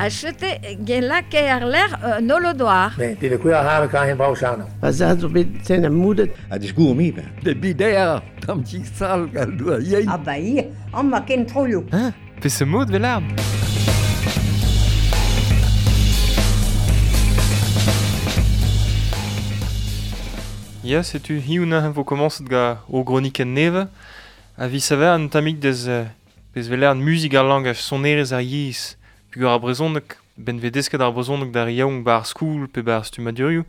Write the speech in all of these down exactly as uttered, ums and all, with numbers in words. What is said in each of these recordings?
A chete gen lake ar ler euh, nolodoar. Ne, de kuer har kan hen brau chano. A za zo bet sen a moudet. A disgour mi ben. De bider, tam tik sal gal doa yein. A ba i, an ma ken troio. Hein? Pe se mod velard? Ya, setu hiuna vo komañset ga o groniken neve, a vi saver an tamik deus pez veler an muzik ar langaj sonerez ar yezh, pugur ar brezhoneg, ben ve desket ar brezhoneg d'ar yaouank ba ar skoul pe ba ar stummadurioù,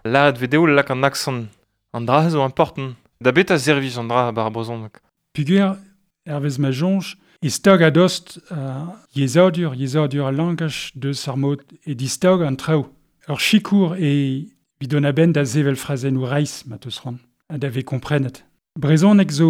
lâret ve dezho lak an aksant an dra zo important, da bet a servij an dra ba ar brezhoneg. Pugur, hervez ma soñj, e stag a-dost uh, yezhadur, yezhadur al langaj deus ar mod e distag an traoù. Ur sikour e vid an a-benn da sevel frazennoù reizh ma teus c'hoant, ha da vez komprenet. Brezhoneg zo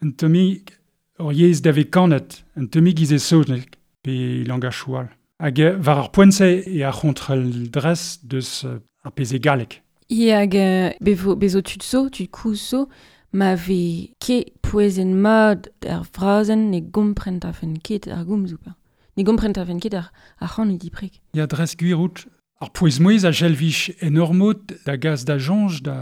un tammig ur yezh da vez kanet, un tammig iz e saozneg pe langaj all. Hag war ar poent-se e ar c'hontrel dres deus ar pezh e galleg. I hag bevo, bezo tud zo, tud kouz zo, ma vez ket pouezen mat ar frazenn ne gomprent afen ket ar gomzoù pa. Ne gomprent afen ket ar, ar c'han e diprek. Ya dres gwir out. Ar pouez-mouez a jelvich enormot da gaz da jonj da,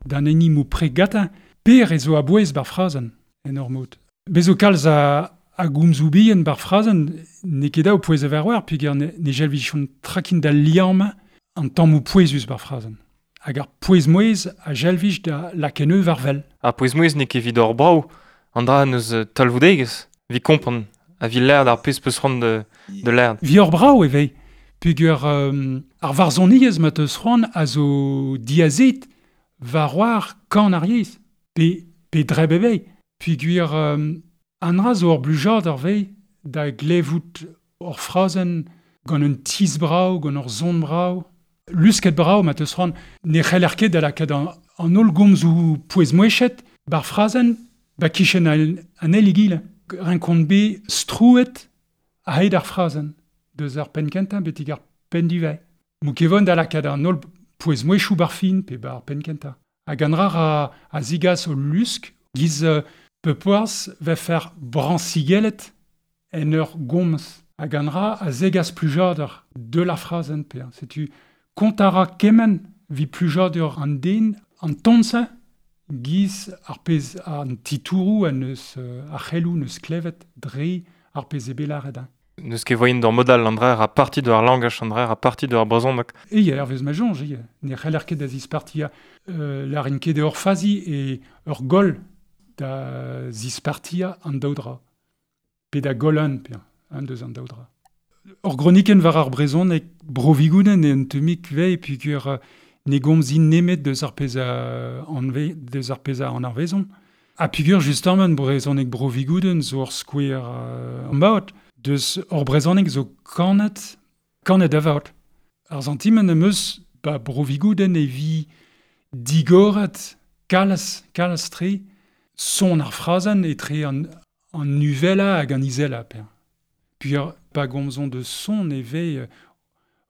d'an enimou pregata, per e zo a bouez bar frazenn enormot. Bezo kalz a, a gomzoù bihan bar frazenn ne ket daou pouez a verwer, peogwir ne, ne jelvich on trakin da liamm an tammoù pouezus bar frazenn. Hag ar pouez-mouez a jelvich da lakeneu war vel. Ar pouez-mouez n'eo ket evit hor brav, an dra neus talvoudegezh, vi kompren, a vi lerd ar pezh peus c'hoant de, de lerd. Vi hor brav e vez. Peogwir euh, ar varzhoniezh ma teus c'hoant a zo diazet war war kan ar yezh, pe, pe dreb e vez. Peogwir euh, an dra zo ur blujad ar vez da glevout ur frazenn gant un tiz brav, gant ur son brav, lusket brav ma teus c'hoant ne c'heller ket da lakaat an, an holl gomzoù pouez-mouezhet bar frazenn ba kichen an, an eil egile. Renkont bet strouet a-hed ar frazenn. Deus ar penn kentañ betek ar penn divez. Mou kevon da lakaat an holl pouez-mouezhioù bar fin pe bar penn kentañ. Hag an dra a, a zigas o lusk giz euh, pepoaz va fer brañsigellet en ur gomz. Hag an dra a zegas plujadur de la frazenn pe. Setu kont a ra kement vi plujadur an den an ton-se giz ar pezh an titouroù an eus euh, ar c'heloù neus klevet dre ar pezh e bet lâret. Neus ket voyen d'ur modal an dra a parti de ar langaj an dra a parti de ar brezhoneg. E ya, hervez ma soñj, e ne c'heller ket da zispartia euh, larin ket ur fazi e ur goll da zispartia an daou dra. Pe da goll an, pe an deus an daou dra. Ur gronikenn war ar brezhoneg bro-Vigoudenn e un tammig vez peogwir ne gomzin nemet deus ar pezh a anve, deus ar pezh a an arvezon. Ha peogwir justement brezhoneg bro-Vigoudenn zo ur skouer euh, an baot. Deus ur brezhoneg zo kanet, kanet avat. Ar santimant am eus ba bro-Vigoudenn e vi digoret kalz, kalz tre son ar frazenn etre an, an nuvela hag an izela per. Puis pa gomzon de son e vez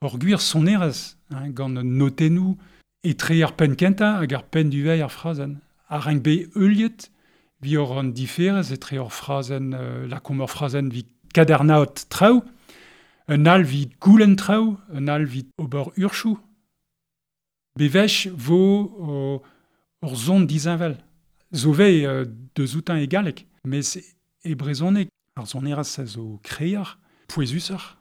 ur gwir sonerezh, hein, gant notennoù etre ar penn kentañ hag ar penn duveil ar frazenn. Ar renk bet heuliet vi ur an diferez etre ur frazenn, euh, lakomp ur frazenn vi kadarnaot traoù, un all vit goulenn traoù, un all vit ober urchoù. Bevech vo o, ur zon dizinvel. Zo vez euh, deus outañ e galleg, mes e brezhoneg ar sonerezh a zo kreier, pouezusoc'h.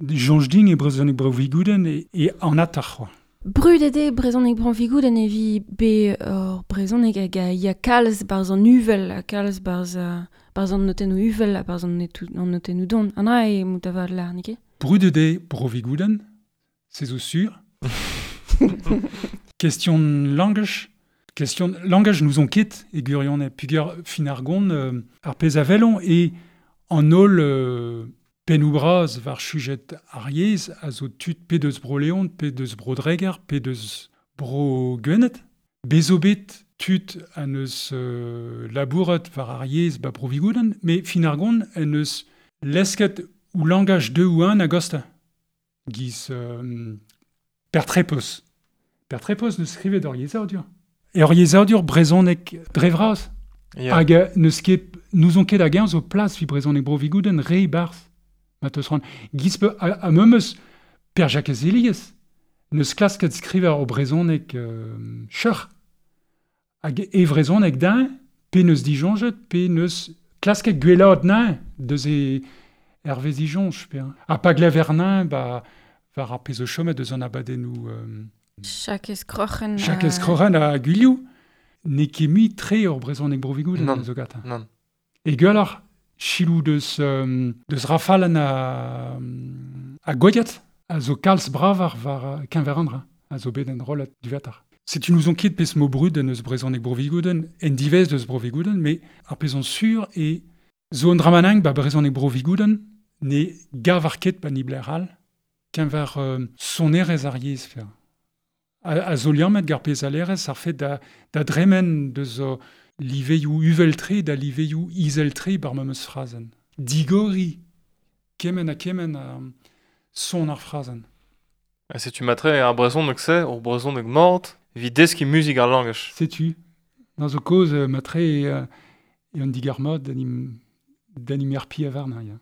Soñj din e brezhoneg bro-Vigoudenn e, e an atar c'hoa. Brudet eo brezhoneg bro-Vigoudenn e vi be ur brezhoneg hag a ya kalz barzh an uvel, ha kalz barzh, barzh an notennoù uvel ha barzh an netou, an notennoù don. An dra eo mout avat lar, n'eo ket? Brudet eo bro-Vigoudenn, se zo sur. Question langaj. Question langaj nous on ket e gwirionez. Peogwir fin ar gont euh, ar pezh a velon e an holl euh, pennoù bras war sujet ar yezh a zo tud pe deus Bro-Leon, pe deus Bro-Dreger, pe deus Bro-Gwened. Bez zo bet tud an eus euh, labouret war ar yezh ba Bro-Vigoudenn, met fin ar gont en eus lesket ou langaj deux ou un a-gosta. Giz euh, Pertrepos. Pertrepos neus skrivet ur yezhadur. E ur yezhadur brezhoneg dre vras. Yeah. Hag neus ket, n'ouzon ket hag-eñ zo plas vi brezhoneg Bro-Vigoudenn re barzh. Ma teus c'hoant. Giz pe a, a memes Per Jacques Elias, neus klasket skriver o brezhoneg euh, cheuc'h. Hag e vrezhoneg din, pe neus dijonjet, pe neus klasket gwellaat nain deus e hervez dijonj. Pe, hein. Ha pa glever nain, ba, war ar pezh o chomet deus an abadennoù... Euh, Jakez Kroc'hen. Jakez Kroc'hen a Gwilhou, n'eo ket mui tre ur brezhoneg bro-Vigoudenn Non. zo gata. Nann. E gwelloc'h, chilou deus, euh, deus rafalen a, a Gouediat, a zo kalz bravar war keñver an dra, a zo bet en rollat duvatar. Setu nous on ket pezh mo brud en eus brezhoneg bro-Vigoudenn, en divez deus bro-Vigoudenn, mais ar pezh on sur e zo an dramanang ba brezhoneg bro-Vigoudenn ne gav ar ket pa ni bler all, keñver euh, sonerezh ar yezh fer. A, a zo liammet gar pezh alerez ar fet da, da dremen deus o liveioù uvel-tre da liveioù izel-tre bar memes frazenn. Digori, kement ha kement a son ar frazenn. Ha setu matre ar brezhoneg se, ur brezhoneg mort, evit deskiñ muzik ar langaj. Setu, dans zo kaoz euh, matre e, euh, e an digar mod d'anim, d'anim er pi avarn, ya.